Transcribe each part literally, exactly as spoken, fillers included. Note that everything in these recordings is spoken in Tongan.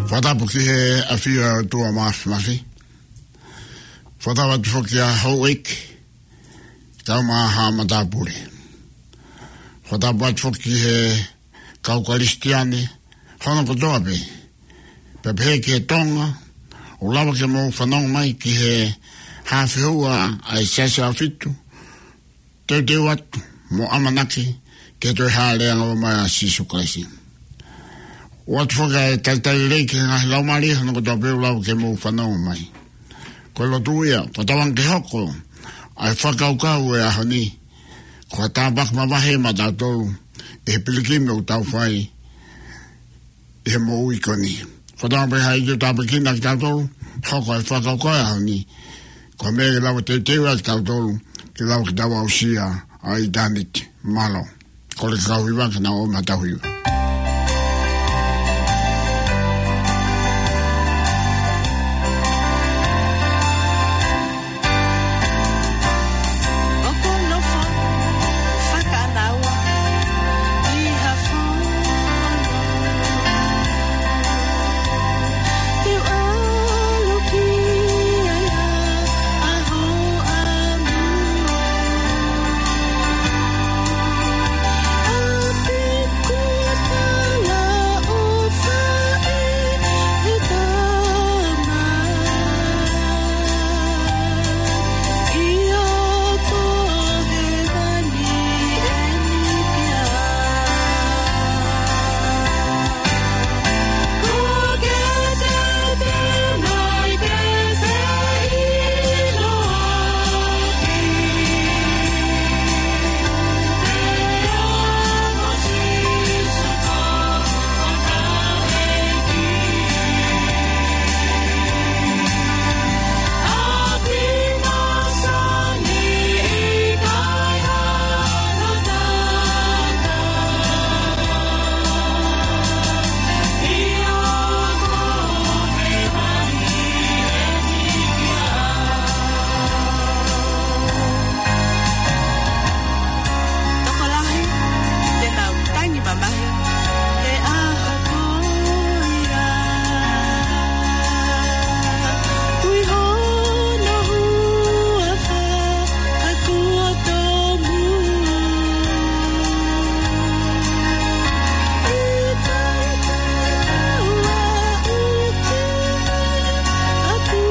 Fakatapu ki he ʻafio ʻa e ʻOtua Māfimafi. Fakatapu atu foki ʻa houʻeiki, kau maha matāpule. Fakatapu atu foki ki he kau Kalisitiane hono kotoa pē. Pea pehē ki he Tonga, ʻoku lava ke mou fanongo mai ki he hafeua ʻa e Siasi ʻAhofitu, teuteu atu mo ʻamanaki ki he toe hāʻele ange mai ʻa Sīsū Kalaisi. ʻOatu foki ʻa e talitali lelei ki he ngaahi laumālie hono kotoa pē ʻoku lava ke mou fanongo mai. Ko e lotu ia, ko e tauanga ke hoko ʻa e fakakaukau ʻo e ʻaho ni, ko ha tāpuaki mavahe maʻatautolu ʻi he pilikimi ʻoku tau fai ʻi he moʻui ko eni. Ko e tauanga pē ʻe hā ʻe tāpuekina kitautolu, hoko ʻa e fakakaukau ʻo e ʻaho ni, ko e meʻa ke lava teuteu ai kitautolu ke lava ke tau aʻusia ʻa ʻitāniti. Mālō. Kole ki he kau hiva ke nau ō mai ʻo tau hiva. Tokolahi te nau tangi mamahi he ʻaho ko ia. Ui hono huafa ka kuo tomuʻa. ʻIkai te u aʻu ki ʻapi.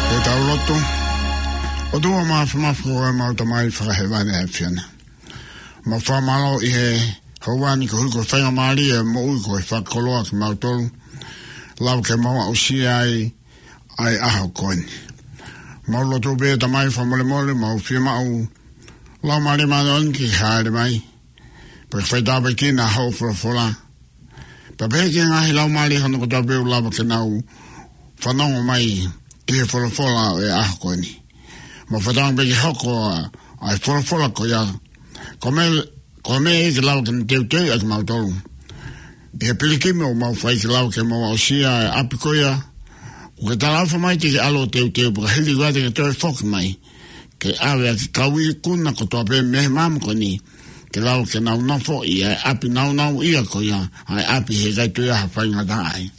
Ke tau lotu. ʻOtua Māfimafi, ko homau Tamai Fakahēvani ʻa e ʻAfiona. Mau fakamālō ʻi he houa ni koeʻuhi ko e faingamālie ʻo e moʻui, ko e fakakoloa kimautolu. Lava ke mau aʻusia ai ʻa e ʻaho ko eni. Mau lotu pē Tamai fakamolemole, mau fiemaʻu Laumālie Māʻoniʻoni ke hāʻele mai. Pea ke fai tāpuekina hoʻo folofola. Pea pehē ki he ngaahi laumālie hono kotoa pē ʻoku lava ke nau fanongo mai ki he folofola ʻo e ʻaho ko eni. Mau fakatauange pē ke hoko ʻa, ʻa e folofola ko ia, ko e meʻa, ko e meʻa ia ke lava ke ne teuteuʻi ʻa kimautolu ʻi he pilikimi ʻoku mau fai ke lava ke mau aʻusia e ʻapi ko ia. ʻOku ke talaʻofa mai te ke ʻalu ʻo teuteu pea ka hili ko ia te ke toe foki mai ke ʻave ʻa e kau ikuna kotoa pē mei he māmani ko eni, ke lava ke nau nofo ʻi he ʻapi nāunauʻia ko ia, ʻa e ʻapi he ʻikai toe ʻi ai ha faingataʻa ai.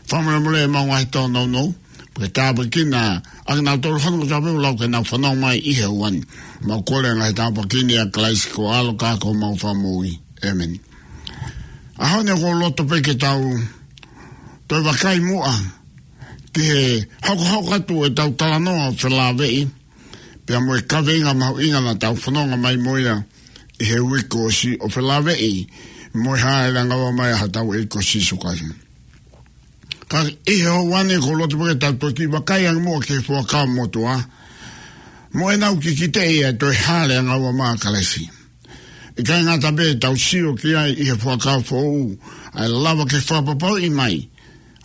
Fakamolemole ʻemau ngaahi tōnounou, pea tāpuekina ʻa kinautolu hono kotoa pē ʻoku lau ke nau fanongo mai ʻi he ʻaho ni. Mau kole ʻa e ngaahi tāpuaki ni ʻia Kalaisi ko ho ʻAlo ka ko homau Fakamoʻui. ʻĒmeni. ʻAho ni ʻoku ou loto pē ke tau toe vakai muʻa ki he hokohoko atu ʻetau talanoa ʻo felāveʻi, pea mo e kaveinga mahuʻinga naʻa tau fononga mai mo ia ʻi he uike kuo ʻosi, ʻo felāveʻi mo e hāʻele angaua mai ʻa hotau ʻEiki ko Sīsū Kalaisi. Ka ʻi he ʻaho ni ʻoku ou loto pē ke tau toki vakai ange muʻa ki he Fuakava Motuʻa mo ʻenau kikiteʻi ʻa e toe hāʻele angaua mai ʻa Kalaisi. ʻIkai ngata pē ʻetau sio ki ai ʻi he Fuakava Foʻou, ʻa e lava ke fakapapauʻi mai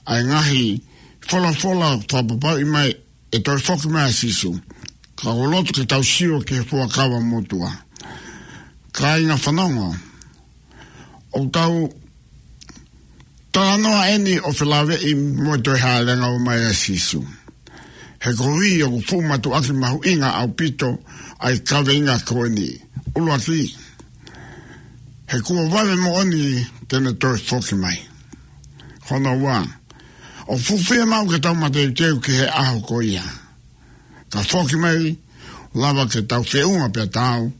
ʻa e ngaahi folofola fakapapauʻi mai e toe foki mai ʻa Sīsū, ka ʻoku ou loto ke tau sio ki he Fuakava Motuʻa. Kāinga fanongo, ʻoku tau talanoa eni ʻo felāveʻi mo e toe hāʻele angaua mai ʻa Sīsū. He koeʻuhi ʻoku fuʻu mātuʻaki mahuʻinga ʻaupito ʻa e kaveinga ko eni. ʻUluaki, he kuo vave moʻoni te ne toe foki mai. Hono ua, ʻoku fuʻu fiemaʻu ke tau mateuteu ki he ʻaho ko ia. Ka foki mai, lava ke tau feʻunga pea tau,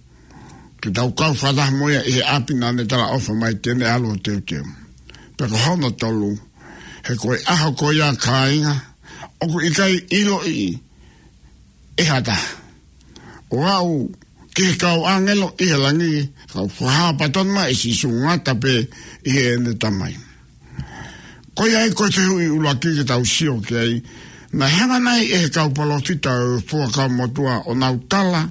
ke tau kau fakataha mo ia ʻi he ʻapi naʻa ne talaʻofa mai te ne ʻalu ʻo teuteu. Pea ko hono tolu, he ko e ʻaho ko ia kāinga, ʻoku ʻikai ʻiloʻi ʻe ha taha. ʻO aʻu ki he kau ʻāngelo ʻi he langi, ka ʻoku fakahā pē tonu mai ʻe Sīsū ngata pē ʻi heʻene Tamai. Ko ia ai ko e fehuʻi ʻuluaki ke tau sio ki ai, naʻe hanga nai ʻe he kau palōfita ʻo e Fuakava Motuʻa ʻo nau tala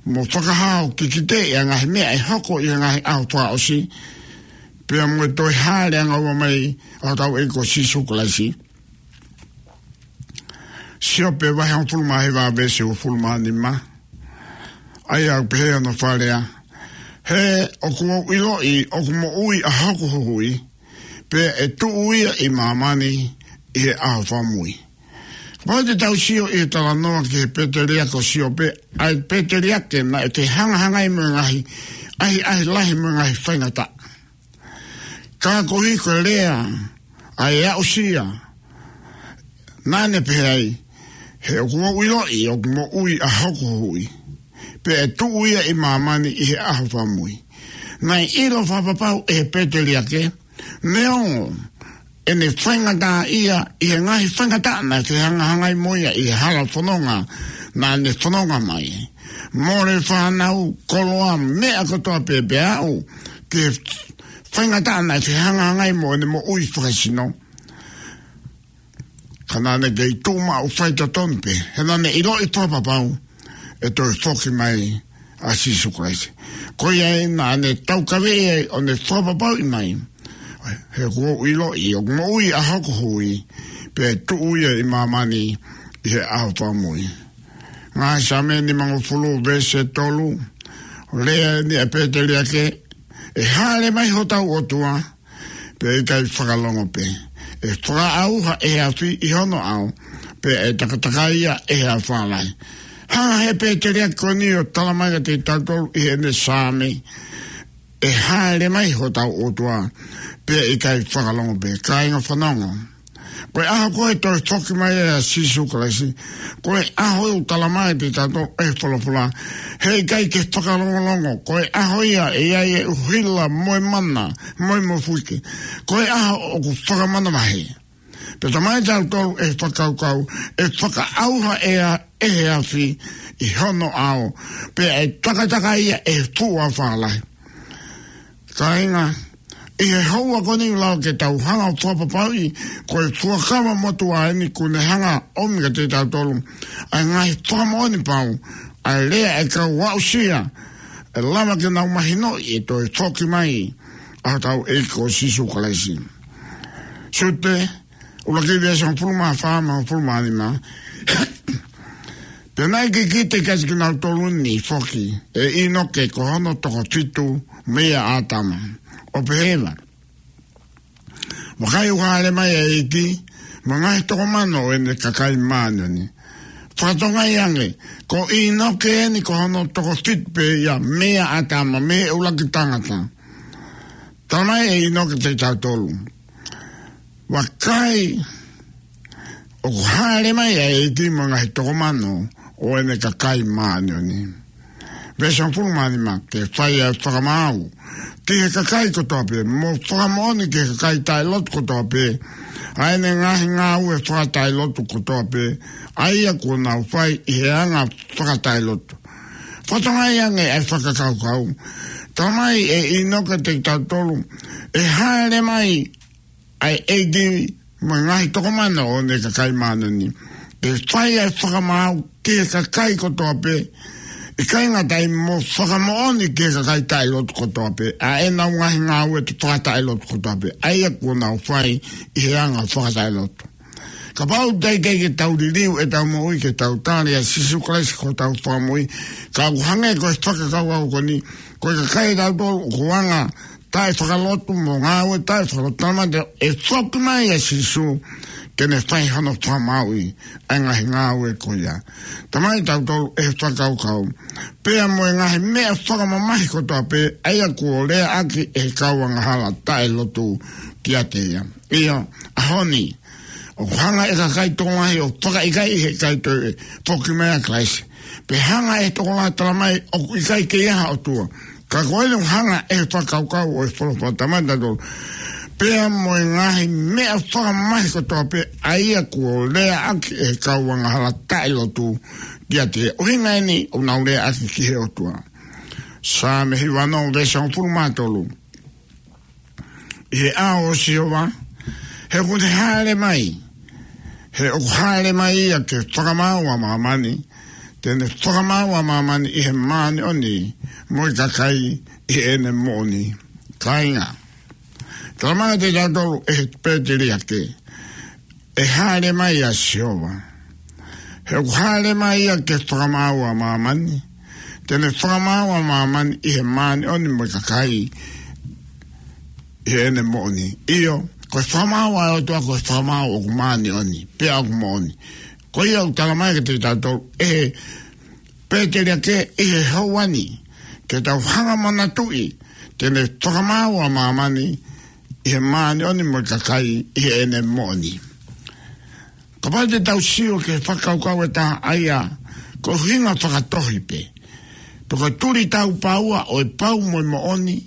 mo fakahā ʻo kikiteʻi ʻa e ngaahi meʻa ʻe hoko ʻi he ngaahi ʻaho fakaʻosi, pea mo e toe hāʻele angaua mai ʻa hotau ʻEiki ko Sīsū Kalaisi? Siope vahe hongofulu mā hiva veesi hongofulu mā nima. ʻA ia ʻoku pehē hono fakalea: He ʻoku ou ʻiloʻi ʻoku moʻui ʻa hoku huhuʻi, pea ʻe tuʻu ia ʻi māmani ʻi he ʻaho fakamui. Kapau te tau sio ʻi he talanoa ki he pēteliake ko Siope, ʻa e pēteliake naʻe fehangahangai mo e ngaahi ʻahiʻahi lahi mo e ngaahi faingataʻa. Ka koeʻuhi ko e lea ʻa e aʻusia, naʻa ne pehē ai: He ʻoku ou ʻiloʻi ʻoku moʻui ʻa hoku huhuʻi, pea ʻe tuʻu ia ʻi māmani ʻi he ʻaho fakamui. Naʻe ʻilo fakapapau ʻe he pēteliake, neongo ʻene faingataʻaʻia ʻi he ngaahi faingataʻa naʻe fehangahangai mo ia ʻi he hala fononga naʻa ne fononga mai, mole fānau, koloa, meʻa kotoa pē, pea aʻu ki he faingataʻa naʻe fehangahangai mo ʻene moʻui fakasino. Ka naʻa ne kei tuʻu maʻu faitotonu pē, he naʻa ne ʻiloʻi fakapapau ʻe toe foki mai ʻa Sīsū Kalaisi. Ko ia ai naʻa ne taukaveʻi ai ʻo ne fakapapauʻi mai: He ʻoku ou ʻiloʻi ʻoku moʻui ʻa hoku huhuʻi, pea ʻe tuʻu ia ʻi māmani ʻi he ʻaho fakamui. Ngaahi Saame nimangofulu veesi tolu, lea eni ʻa e pēteliake: ʻE hāʻele mai hotau ʻOtua, pea ʻikai fakalongo pē. ʻE fakaʻauha ʻe he afi ʻi hono ʻao, pea ʻe takatakai ia ʻe he afā lahi. Hanga ʻe he pēteliake ko eni ʻo tala mai kiate kitautolu ʻi heʻene Saame: ʻE hāʻele mai hotau ʻOtua, pea ʻikai fakalongo pē. Kāinga fanongo, ko e ʻaho ko ē toe foki mai ʻa Sīsū Kalaisi, ko e ʻaho ʻoku tala mai kiate kitautolu ʻe he folofola: He ʻikai ke fakalongolongo, ko e ʻaho ia ʻe ʻi ai e ʻuhila mo e mana mo e mofuike. Ko e ʻaho ʻoku fakamanavahē. Pea talamai kiate kitautolu ʻe he fakakaukau, ʻe fakaʻauha ʻe a-, ʻe he afi ʻi hono ʻao, pea ʻe takatakai ia ʻe he fuʻu afā lahi. Kāinga, ʻi he houa ko eni ʻoku lava ke tau hanga ʻo fakapapauʻi ko e Fuakava Motuʻa eni kuo ne hanga ʻo ʻomi kiate kitautolu ʻa e ngaahi fakamoʻoni pau, ʻa e lea ʻa e kau aʻusia, ʻe lava ke nau mahinoʻi e toe foki mai ʻa hotau ʻEiki ko Sīsū Kalaisi. Siute ʻuluaki veesi hongofulu mā fā mo e hongofulu mā nima: Pea naʻe kikite kiate kinautolu ni foki ʻe ʻĪnoke ko hono toko fitu meia ʻĀtama, ʻo pehē, Vakai, ʻoku hāʻele mai ʻa e ʻEiki mo e ngaahi toko mano ʻo ʻene kakai māʻoniʻoni. Fakatokangaʻi ange, ko ʻĪnoke eni ko hono toko fitu pē ia meia ʻĀtama, mei he ʻuluaki tangata. Talamai ʻe ʻĪnoke kiate kitautolu, Vakai, ʻoku hāʻele mai ʻa e ʻEiki mo e ngaahi toko mano ʻo ʻene kakai māʻoniʻoni. Veesi hongofulu mā nima, ke fai ʻa e fakamaau ki he kakai kotoa pē, mo fakamoʻoni ki he kakai taʻelotu kotoa pē, ʻa ʻene ngaahi ngāue fakataʻelotu kotoa pē, ʻa ia kuo nau fai ʻi he anga fakataʻelotu. Fakatokangaʻi ange ʻa e fakakaukau. Talamai ʻe ʻĪnoke kiate kitautolu, ʻe hāʻele mai ʻa e ʻEiki mo e ngaahi toko mano ʻo ʻene kakai māʻoniʻoni, ke fai ʻa e fakamaau ki he kakai kotoa pē, ʻikai ngata ai, mo fakamoʻoni ki he kakai taʻelotu kotoa pē, ʻa ʻenau ngaahi ngāue fakataʻelotu kotoa pē, ʻa ia kuo nau fai ʻi he anga fakataʻelotu. Kapau teʻeki ke tau liliu ʻetau moʻui ke tau tali ʻa Sīsū Kalaisi ko hotau Fakamoʻui, ka ʻoku hangē ko e fakakaukau ko eni, ko e kakai ʻatautolu ʻoku anga taʻefakalotu mo ngāue taʻefakalotu, talamai ʻe foki mai ʻa Sīsū ke ne fai hono fakamaauʻi ʻa e ngaahi ngāue ko ia. Talamai kitautolu ʻe he fakakaukau, pea mo e ngaahi meʻa fakamamahi kotoa pē, ʻa ia kuo leaʻaki ʻe he kau angahala taʻelotu kiate ia. ʻIo, ʻaho ni, ʻoku hanga ʻe he kakai tokolahi ʻo fakaʻikaiʻi ʻe he ʻikai toe foki mai ʻa Kalaisi. Pe hanga ʻe he tokolahi ʻo talamai ʻoku ʻikai ke ʻi ai ha ʻOtua. Ka ko eni ʻoku hanga ʻe he fakakaukau ʻo e folofola, talamai kiate kitautolu, pea mo e ngaahi meʻa fakamamahi kotoa pē, ʻa ia kuo leaʻaki ʻe he kau angahala taʻelotu kiate ia. ʻUhinga eni ʻoku nau leaʻaki ki he ʻOtua. Saame hiva ono, veesi hongofulu mā tolu. ʻI he ʻao ʻo Sihova, he ʻoku ne hāʻele mai, he ʻoku hāʻele mai ia ke fakamaau ʻa māmani, te ne fakamaau ʻa māmani ʻi he māʻoniʻoni mo e kakai ʻi heʻene moʻoni. Kāinga, talamai kiate kitautolu ʻe he pēteliake, ʻe hāʻele mai ʻa Sihova. He ʻoku hāʻele mai ia ke fakamaau ʻa māmani. Te ne fakamaau ʻa māmani ʻi he māʻoniʻoni mo e kakai ʻi heʻene moʻoni. ʻIo, ko e fakamaau ʻa e ʻOtua ko e fakamaau ʻoku māʻoniʻoni, pea ʻoku moʻoni. Ko ia ʻoku talamai kiate kitautolu ʻe he pēteliake ʻi he houa ni, ke tau hanga manatuʻi, te ne fakamaau ʻa māmani ʻi he māʻoniʻoni mo e kakai ʻi heʻene moʻoni. Kapau te tau sio ki he fakakaukau ʻe taha, ʻa ia ko e ʻuhinga fakatohi pē, pe ko e tuli tau pāua ʻo e pau mo e moʻoni,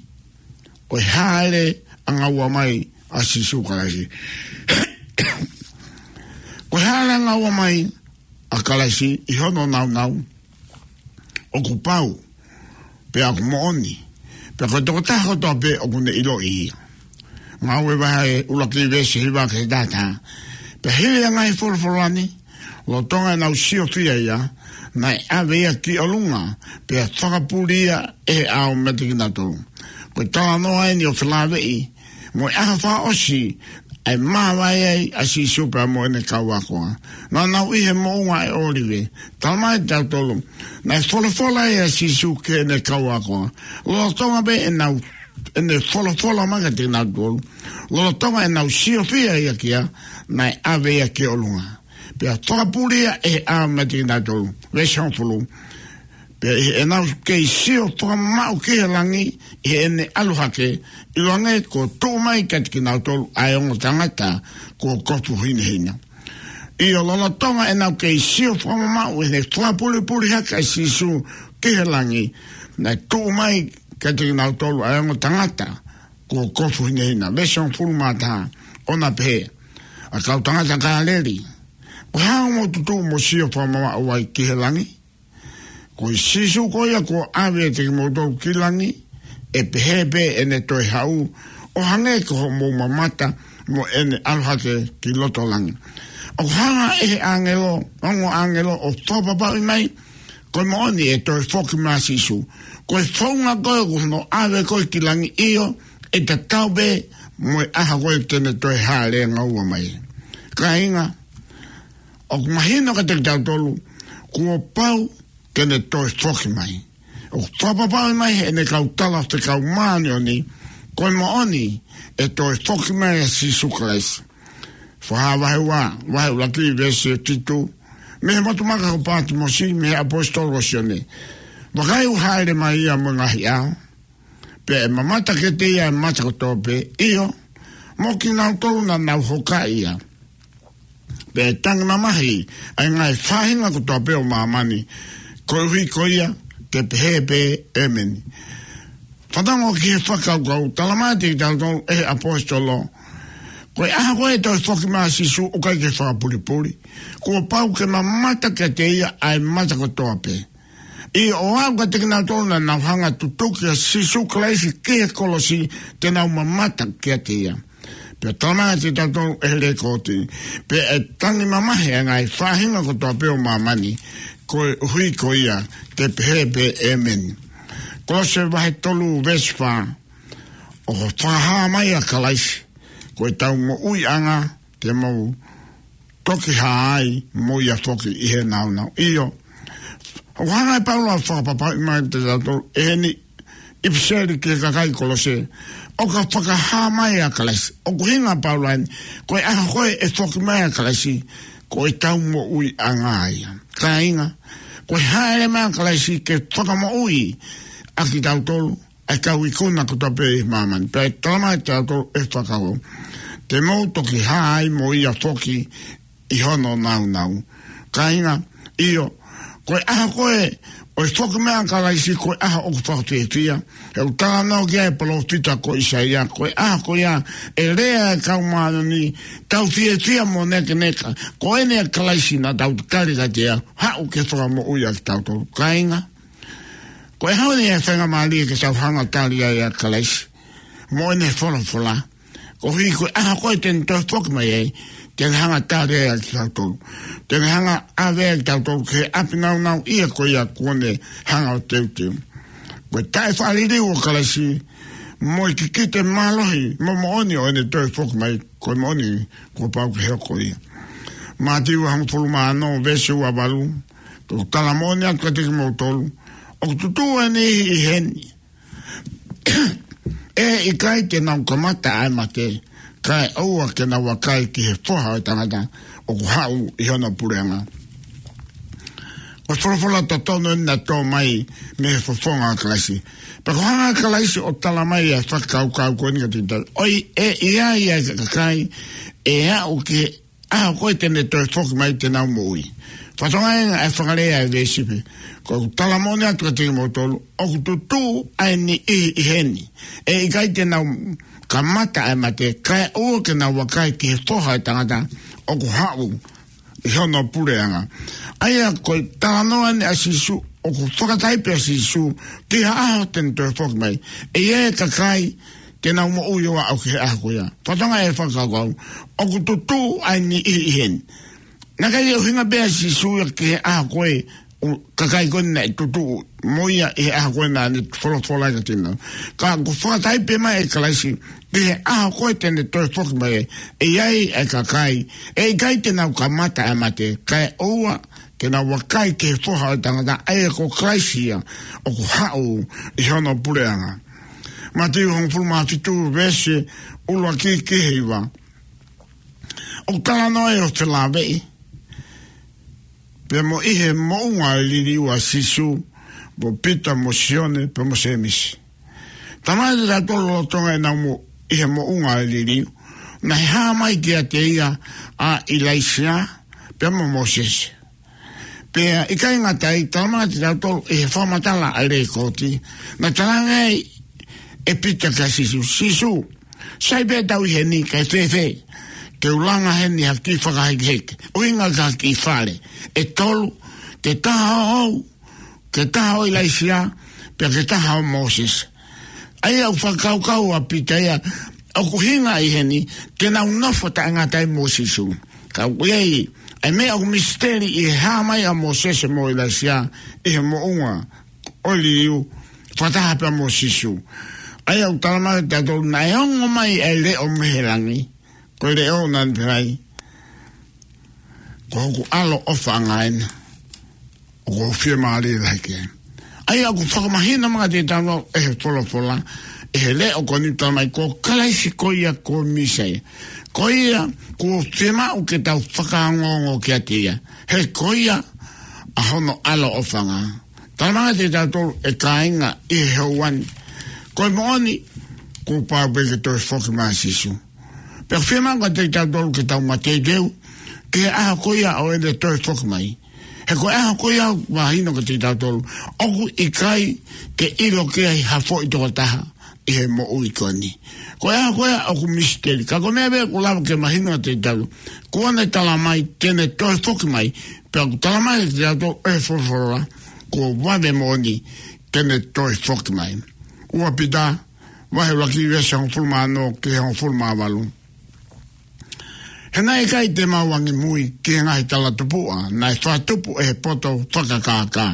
ʻo e hāʻele angaua mai ʻa Sīsū Kalaisi. Ko e hāʻele angaua mai ʻa Kalaisi ʻi hono nāunau, ʻoku pau, pea ʻoku moʻoni, pea ko e tokotaha kotoa pē ʻoku ne ʻiloʻi ia. Ngāue vahe ʻuluaki, veesi hiva ki he taha taha. Pea hili ʻa e ngaahi folofola ni, lolotonga ʻenau siofia ia, naʻe ʻave ia ki ʻolunga, pea fakapuli ia ʻe he ʻao meiate kinautolu. Ko e talanoa eni ʻo felāveʻi mo e ʻaho fakaʻosi ʻa e māvae ai ʻa Sīsū pea mo ʻene kau ako. Naʻa nau ʻi he moʻunga ʻo e ʻŌlive. Talamai kiate kitautolu, naʻe folofola ai ʻa Sīsū ki heʻene kau ako, lolotonga pē ʻenau, ʻene folofola mai kiate kinautolu, lolotonga ʻenau siofia ia ki ai, naʻe ʻave ia ki ʻolunga, pea fakapuli ia ʻe he ʻao meiate kinautolu. Veesi hongofulu. Pea ʻi heʻenau kei sio fakamamaʻu ki he langi ʻi heʻene ʻalu hake, ʻiloange kuo tuʻu mai kiate kinautolu ʻa e ongo tangata kuo kofu hinehina. ʻIo, lolotonga ʻenau kei sio fakamamaʻu ʻi heʻene fakapulipuli hake ʻa Sīsū ki he langi, naʻe tuʻu mai kiate kinautolu ʻa e ongo tangata kuo kofu hinehina. Veesi hongofulu mā taha, ʻo na pehē, ʻA e kau tangata Kāleli, ko e hā hoʻomou tutuʻu mo sio fakamamaʻu ai ki he langi? Ko e Sīsū ko ia kuo ʻave ʻiate kimoutolu ki langi, ʻe pehē pē ʻene toe haʻu, ʻo hangē ko hoʻomou mamata mo ʻene ʻalu hake ki loto langi. ʻOku hanga ʻe he ʻāngelo, ongo ʻāngelo ʻo fakapapauʻi mai, ko e moʻoni ʻe toe foki mai ʻa Sīsū. Ko e founga ko ē ʻoku ne ʻave ko ē ki langi, ʻio, ʻe tatau pē mo e ʻaho ko ē te ne toe hāʻele angaua mai. Kāinga, ʻoku mahino kiate kitautolu, Kuo pau ke ne toe foki mai. ʻOku fakapapauʻi mai heʻene kau tala fekau māʻoniʻoni, ko e moʻoni ʻe toe foki mai ʻa Sīsū Kalaisi. Fakahā vahe ua, vahe ʻuluaki veesi fitu. Mei he motu maka ko Pātimosi, mei he ʻaposetolo ko Sione. Vakai, ʻoku hāʻele mai ia mo e ngaahi ʻao, pea ʻe mamata kiate ia ʻa e mata kotoa pē, ʻio, mo kinautolu naʻa nau hokaʻi ia. Pea ʻe tangi mamahi ʻa e ngaahi faʻahinga kotoa pē ʻo māmani, koeʻuhi ko ia te pehē pē, ʻĒmeni. Fanongo ki he fakakaukau, talamai kiate kitautolu ʻe he ʻaposetolo, ko e ʻaho ko ē ʻe toe foki mai ai ʻa Sīsū, ʻoku ʻikai ke fakapulipuli. Kuo pau ke mamata kiate ia ʻa e mata kotoa pē. ʻIo, ʻo aʻu kiate kinautolu naʻa nau hanga ʻo tutuki ʻa Sīsū Kalaisi ki he kolosi, te nau mamata kiate ia. Pea talamai kiate kitautolu ʻe he lekooti, pea ʻe tangi mamahi ʻa e ngaahi faʻahinga kotoa pē ʻo māmani, koeʻuhi ko ia te pehē pē, ʻĒmeni. Kolose vahe tolu veesi fā. ʻOku fakahā mai ʻa Kalaisi, ko ʻetau moʻuiʻanga, te mou toki hā ai mo ia foki ʻi he nāunau. ʻIo, ʻoku hanga ʻe Paula ʻo fakapapauʻi mai kiate kitautolu ʻi heʻene ʻipiseli ki he kakai Kolose, ʻoku fakahā mai ʻa Kalaisi. ʻOku ʻuhinga ʻa Paula eni, ko e ʻaho ko ē ʻe foki mai ʻa Kalaisi, ko ʻetau moʻuiʻanga ia. Kāinga, ko e hāʻele mai ʻa Kalaisi ke fakamoʻui ʻa kitautolu, ʻa e kau ikuna kotoa pē ʻi māmani. Pea ʻe talamai kiate kitautolu ʻe he fakakaukau, te mou toki hā ai mo ia foki ʻi hono nāunau. Kāinga, ʻio, ko e ʻaho ko ē ʻo e foki mai ʻa Kalaisi, ko e ʻaho ʻoku fakafiefia. He ʻoku talanoa ki ai ʻa e palōfita ko ʻAisea, ko e ʻaho ko ia ʻe lea ai ʻa e kau māʻoniʻoni, tau fiefia mo nēkeneka, ko eni ʻa Kalaisi naʻa tau tali kiate ia, haʻu ke fakamoʻui ʻa kitautolu. Kāinga, ko e hā eni ʻa e faingamālie ke tau hanga ʻo tali ai ʻa Kalaisi mo ʻene folofola, koeʻuhi ko e ʻaho ko ē te ne toe foki mai ai, te ne hanga ʻo tali ai ʻa kitautolu, te ne hanga ʻo ʻave ai ʻa kitautolu ki he ʻapi nāunauʻia ko ia kuo ne hanga ʻo teuteu. Ko e taʻefaʻaliliu ʻo Kalaisi mo e kikite mālohi mo moʻoni ʻo ʻene toe foki mai, ko e moʻoni kuo pau ke hoko ia. Mātiu hongofulu mā ono veesi ua valu. Ko ʻeku tala moʻoni atu kiate kimoutolu, ʻoku tutuʻu ʻa e niʻihi ʻi heni ʻe ʻikai te nau kamata ʻa e mate, kae ʻoua ke nau vakai ki he Foha ʻo e Tangata ʻoku haʻu ʻi hono puleʻanga. Ko e folofola totonu eni naʻe tō mai mei he fofonga ʻo Kalaisi. Pea ko e hanga ʻe Kalaisi ʻo tala mai ʻa e fakakaukau ko eni kiate kitautolu, ʻoku ʻi ai ʻa e kakai ʻe aʻu ki he ʻaho ko ē te ne toe foki mai te nau moʻui. Fakatokangaʻi ange ʻa e fakalea ʻa e veesi pē, ko ʻeku tala moʻoni atu kiate kimoutolu, ʻoku tutuʻu ʻa e niʻihi ʻi heni ʻe ʻikai te nau kamata ʻa e mate, kae ʻoua ke nau vakai ki he Foha ʻo e Tangata ʻoku haʻu ʻi hono puleʻanga. ʻA ia ko e talanoa eni ʻa Sīsū, ʻoku fakataipe ʻa Sīsū ki ha ʻaho te ne toe foki mai. ʻE ʻi ai e kakai te nau moʻui ʻo aʻu ki he ʻaho ko ia. Fakatokangaʻi e fakakaukau, ʻoku tutuʻu ʻa e niʻihi ʻi heni. Naʻe ʻikai ke ʻuhinga pē ʻa Sīsū ia ki he ʻaho ko ē ʻo e kakai ko ē naʻe tutuʻu mo ia ʻi he ʻaho ko ē naʻa ne folofola ai kiate kinautolu. Ka ʻoku fakataipe mai ʻe Kalaisi ki he ʻaho ko ē te ne toe foki mai, ʻe ʻi ai e kakai ʻe ʻikai te nau kamata ʻa e mate, kae ʻoua ke nau vakai ki he Foha ʻo e Tangata, ʻa ia ko Kalaisi ia ʻoku haʻu ʻi hono puleʻanga. Mātiu hongofulu mā fitu veesi ʻuluaki ki he hiva. ʻOku talanoa ai ʻo felāveʻi pea mo ʻi he moʻunga ʻo e liliu ʻa Sīsū, mo Pita mo Sione pea mo Sēmisi. Talamai kiate kitautolu lolotonga ʻenau mo ʻi he moʻunga ʻo e liliu, naʻe hā mai kiate ia ʻa ʻIlaisiā pea mo Mōsese. Pea ʻikai ngata ai, talamai kiate kitautolu ʻi he fakamatala ʻa e lekooti, naʻe talaange ai ʻe Pita kia Sīsū, Sīsū, sai pē ʻetau ʻi heni, kae fēfē ke u langa heni ha kiʻi fakahekeheke, ʻuhinga ki ha kiʻi fale ʻe tolu, ke taha ʻoʻou, ke taha ʻo ʻIlaisiā, pea ke taha ʻo Mōsese. ʻA ia ʻoku fakakaukau ʻa Pita ia, ʻoku ʻuhinga ʻi heni ke nau nofo taʻengata ai mo Sīsū. Ka ʻoku ʻi ai ʻa e meʻa ʻoku misiteli ʻi he hā mai ʻa Mōsese mo ʻIlaisiā ʻi he moʻunga ʻo e liliu fakataha pea mo Sīsū. ʻA ia ʻoku talamai kiate kitautolu naʻe ongo mai ʻa e leʻo mei he langi. Ko e leʻo naʻa ne pehē ai, ko hoku ʻAlo ʻofaʻanga ena, ʻoku ou fiemālie lahi ki ai. ʻA ia ʻoku fakamahino mai kiate kitautolu ʻe he folofola, ʻe he leʻo ko eni, talamai ko Kalaisi ko ia ko Mīsaia. Ko ia kuo fiemaʻu ke tau fakaongoongo kiate ia. He ko ia ʻa hono ʻaloʻofa. Talamai kiate kitautolu ʻe kāinga ʻi he houa ni, ko e moʻoni, kuo pau pē ke toe foki mai ʻa Sīsū. Pea fiemaʻu kiate kitautolu ke tau mateuteu ki he ʻaho ko ia ʻo ʻene toe foki mai. He ko e ʻaho ko ia ʻoku mahino kiate kitautolu, ʻoku ʻikai ke ʻilo ki ai ha foʻi tokotaha ʻi he moʻui ko eni. Ko e ʻaho ko ia ʻoku misiteli. Ka ko e meʻa pē ʻoku lava ke mahino kiate kitautolu, kuo ne talamai te ne toe foki mai. Pea ʻoku talamai kiate kitautolu ʻe he folofola, kuo vave moʻoni te ne toe foki mai. Ua Pita, vahe ʻuluaki, veesi hongofulu mā ono ki he hongofulu mā valu. He naʻe ʻikai te mau angimui ki he ngaahi talatupuʻa naʻe fakatupu ʻe he poto fakakākā,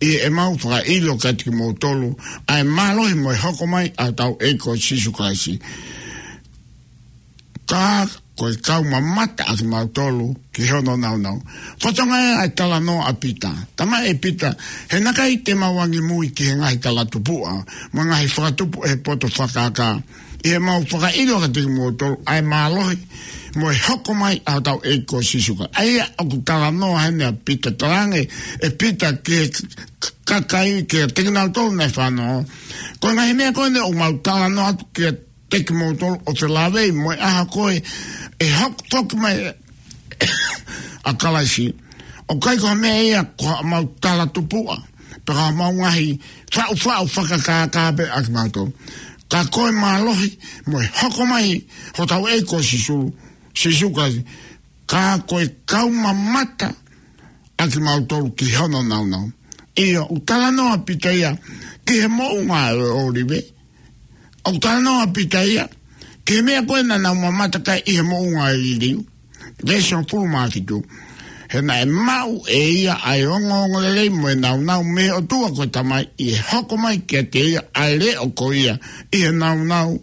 ʻi heʻemau fakaʻilo kiate kimoutolu ʻa e mālohi mo e hoko mai ʻa hotau ʻEiki ko Sīsū Kalaisi. Ka ko e kau mamata ʻa kimautolu ki hono nāunau. Fatongia ʻa e talanoa ʻa Pita. Talamai ʻe Pita, he naʻe ʻikai te mau angimui ki he ngaahi talatupuʻa mo e ngaahi fakatupu ʻe he poto fakakākā, ʻi heʻemau fakaʻilo kiate kimoutolu ʻa e mālohi mo e hoko mai ʻa hotau ʻEiki ko Sīsū Kalaisi. ʻA ia ʻoku talanoa heni ʻa Pita, talaange ʻe Pita ki he k-, k-, kakai, kiate kinautolu naʻe fanongo, ko e ngaahi meʻa ko eni ʻoku mau talanoa atu kiate kimoutolu ʻo felāveʻi mo e ʻaho ko ē ʻe hoko foki mai ʻa Kalaisi. ʻOku ʻikai ko ha meʻa ia ko haʻamau talatupuʻa pe ko haʻamau ngaahi faʻufaʻu fakakākā pē ʻa kimautolu. Ka ko e mālohi mo e hoko mai hotau ʻEiki ko Sīsū, Sīsū Kalaisi. Ka ko e kau mamata ʻa kimautolu ki hono nāunau. ʻIo, ʻoku talanoa ʻa Pita ia ki he moʻunga ʻo e ʻŌlive. ʻOku talanoa ʻa Pita ia ki he meʻa ko ē naʻa nau mamata ki ai ʻi he moʻunga ʻo e liliu. Veesi hongofulu mā fitu. He naʻe maʻu ʻe ia ʻa e ongoongolelei mo e nāunau mei he ʻOtua ko e Tamai, ʻi he hoko mai kiate ia ʻa e leʻo ko ia ʻi he nāunau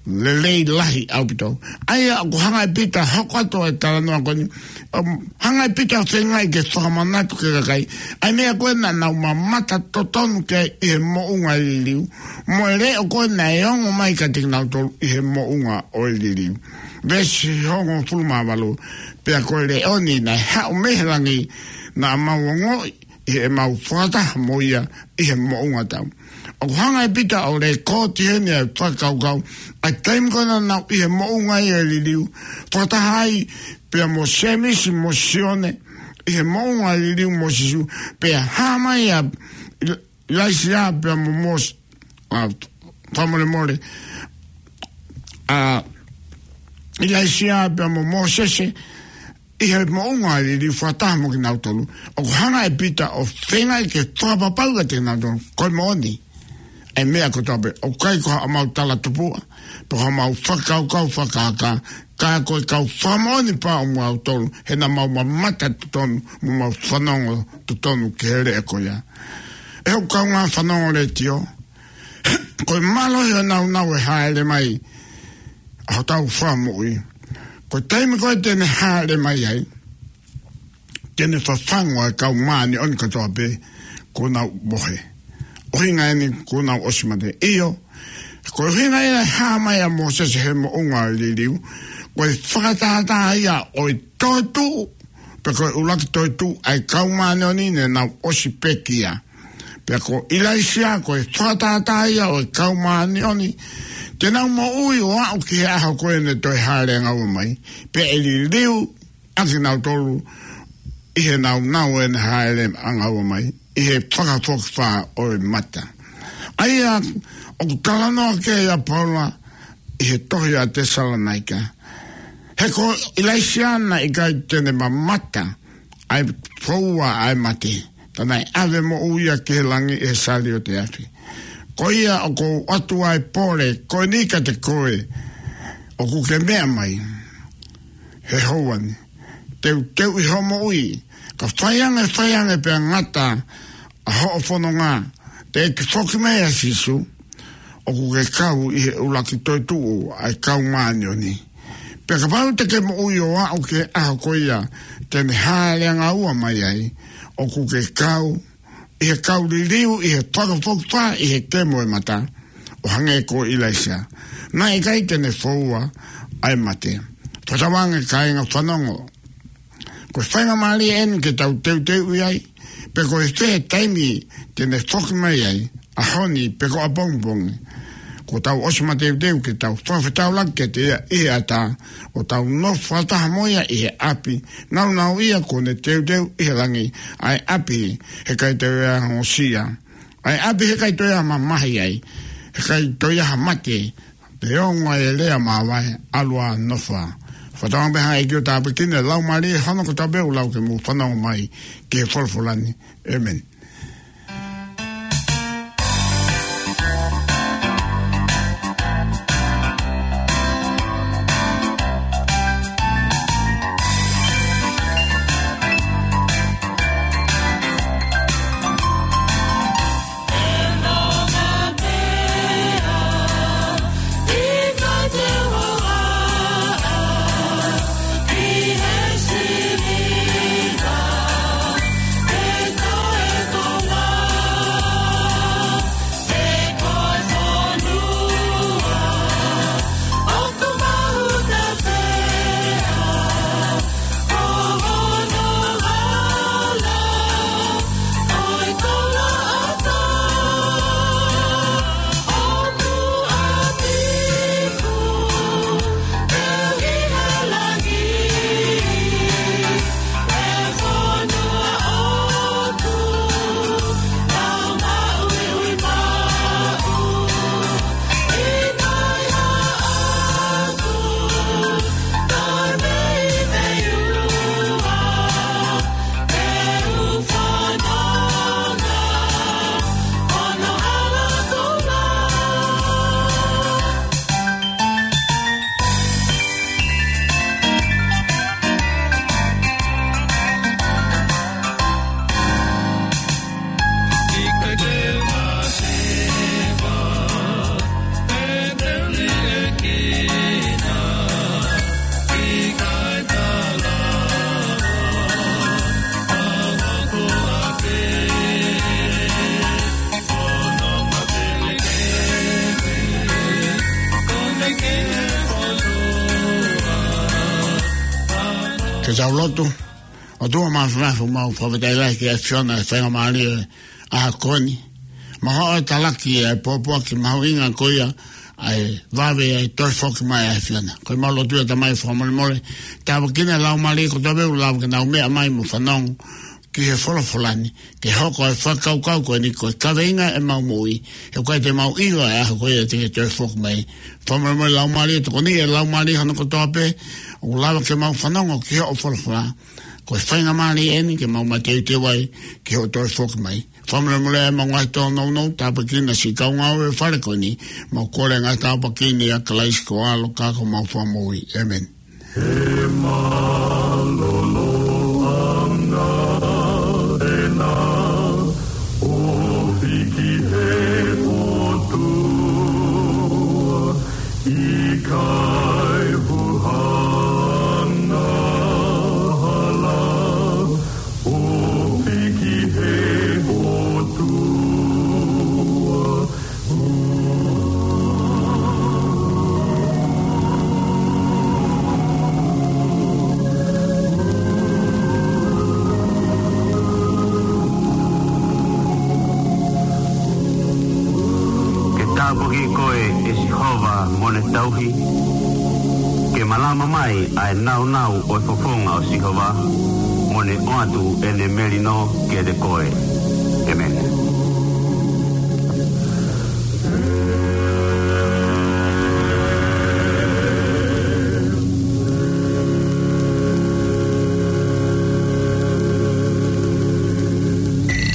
lelei lahi ʻaupito. ʻA ia ʻoku hanga ʻe Pita ʻo hoko atu ʻa e talanoa ko eni, um, hanga ʻe Pita ʻo feingaʻi ke fakamanatu ki he kakai ʻa e meʻa ko ē naʻa nau mamata totonu ki ai ʻi he moʻunga ʻo e liliu, mo e leʻo ko ē naʻe ongo mai kiate kinautolu ʻi he moʻunga ʻo e liliu. Veesi hongofulu mā valu. Pea ko e leʻo ni naʻe haʻu mei he langi, naʻa mau ongoʻi ʻi heʻemau fakataha mo ia ʻi he moʻunga tau. ʻOku hanga ʻe Pita ʻo lēkooti heni ʻa e fakakaukau ʻa e taimi ko ē naʻa nau ʻi he moʻunga ia ʻo e liliu, fakataha ai pea mo Sēmisi mo Sione ʻi he moʻunga ʻo e liliu mo Sīsū, pea hā mai ʻa ʻIlaisiā pea mo Mōs-, ʻa, fakamolemole, ʻa ʻIlaisiā pea mo Mōsese ʻi he moʻunga ʻo e liliu fakataha mo kinautolu. ʻOku hanga ʻe Pita ʻo feingaʻi ke fakapapauʻi kiate kinautolu ko e moʻoni ʻa e meʻa kotoa pē. ʻOku ʻikai ko haʻamau talatupuʻa pe ko haʻamau fakakaukau fakakākā, ka ko e kau fakamoʻoni pē ʻoku mau tolu, he naʻa mau mamata totonu mo mau fanongo totonu ki he leʻo ko ia. ʻE hoku kaungā fanongo letiō, ko e mālohi ʻo e nāunau ʻe hāʻele mai ʻa hotau Fakamoʻui, ko e taimi ko ē te ne hāʻele mai ai, te ne fafangu ʻa e kau māʻoniʻoni kotoa pē kuo nau mohe. ʻUhinga eni kuo nau ʻosi mate. ʻIo, ko e ʻuhinga ia e hā mai ʻa Mōsese he moʻunga ʻo e liliu, ko e fakatātā ia ʻo e toetuʻu, pe ko e ʻuluaki toetuʻu ʻa e kau māʻoniʻoni ne nau ʻosi pekia. Pea ko ʻIlaisiā ko e fakatātā ia ʻo e kau māʻoniʻoni te nau moʻui ʻo aʻu ki he ʻaho ko ē ne toe hāʻele ʻangaua mai, pea ʻe liliu ʻa kinautolu ʻi he nāunau ʻene hāʻele ʻangaua mai ʻi he fakafokifā ʻo e mata. ʻA ia ʻoku talanoa ki ai ʻa Paula ʻi he tohi ʻa Tesalonaika. He ko ʻIlaisiā naʻe ʻikai te ne mamata ʻa e foua ʻa e mate, ka naʻe ʻave moʻui ia ki he langi ʻi he saliote afi. Ko ia ʻoku ou ʻoatu ʻa e pole ko eni kiate koe, ʻoku ke meʻa mai he houa ni, teuteuʻi hoʻo moʻui, ka fai ange, fai ange pea ngata ʻa hoʻo fononga, teʻeki foki mai ʻa Sīsū, ʻoku ke kau ʻi he ʻuluaki toetuʻu ʻa e kau māʻoniʻoni. Pea kapau te ke moʻui ʻo aʻu ki he ʻaho ko ia te ne hāʻele angaua mai ai, ʻoku ke kau ʻi he kau liliu, ʻi he fakafokifā, ʻi he kemo ʻo e mata, ʻo hangē ko ʻIlaisiā. Naʻe ʻikai te ne foua ʻa e mate. Fakatauange kāinga fanongo, ko e faingamālie eni ke tau teuteuʻi ai pe ko e fē taimi te ne foki mai ai, ʻaho ni pe ko ʻapongipongi. Kuo tau ʻosi mateuteu ke tau fakafetaulaki kiate ia ʻi he ʻatā, ʻo tau nofo fakataha mo ia ʻi he ʻapi, naunau ia kuo ne teuteu ʻi he langi, ʻa e ʻapi he ʻikai toe ʻi ai ha ongosia, ʻa e ʻapi he ʻikai toe ʻi ai ha mamahi ai, he ʻikai toe ʻi ai ha mate, neongo e lea māvae, ʻalu ā nofo ā. Fakatauange pē ʻe he ʻEiki ʻo tāpuekina e laumālie hono kotoa pē ʻoku lau ke mou fanongo mai ki he folofola ni. ʻĒmeni. Ke tau lotu. ʻOtua Māfimafi, ʻoku mau fakafetaʻi lahi ki he ʻAfiona he faingamālie ʻo e ʻaho ko eni. Mau haʻu ʻo talaki ʻa e pōpoaki mahuʻinga ko ia, ʻa e vave ʻa e toe foki mai ʻa e ʻAfiona. Ko ʻemau lotu ia, Tamai, fakamolemole, tāpuekina e laumālie kotoa pē ʻoku lava ke nau meʻa mai mo fanongo ki he folofola ni, ke hoko e fakakaukau ko eni ko e kaveinga ʻemau moʻui, he ʻoku ʻikai te mau ʻilo e ʻaho ko ia te ke toe foki mai. Fakamolemole, laumālie, tokoniʻi e laumālie hono kotoa pē ʻoku lava ke mau fanongo ki hoʻo folofola. Ko e faingamālie eni ke mau mateuteu ai ki hoʻo toe foki mai. Fakamolemole ʻemau ngaahi tōnounou, tāpuekina siʻi kau ngāue ʻo e fale ko eni. Mau kole e ngaahi tāpuaki ni ʻia Kalaisi ko ho ʻAlo ka ko homau Fakamoʻui. ʻĒmeni. He mālōlōʻanga ena ʻo hiki he ʻOtua, ʻikai huhanga hala ʻo hiki he ʻOtua. Ke tāpuakiʻi koe ʻe Sihova mo ne tauhi. Ke malama mai ʻa e naunau ʻo e fofonga ʻo Sihova, mo ne ʻoatu ʻene melino kiate koe. ʻĒmeni.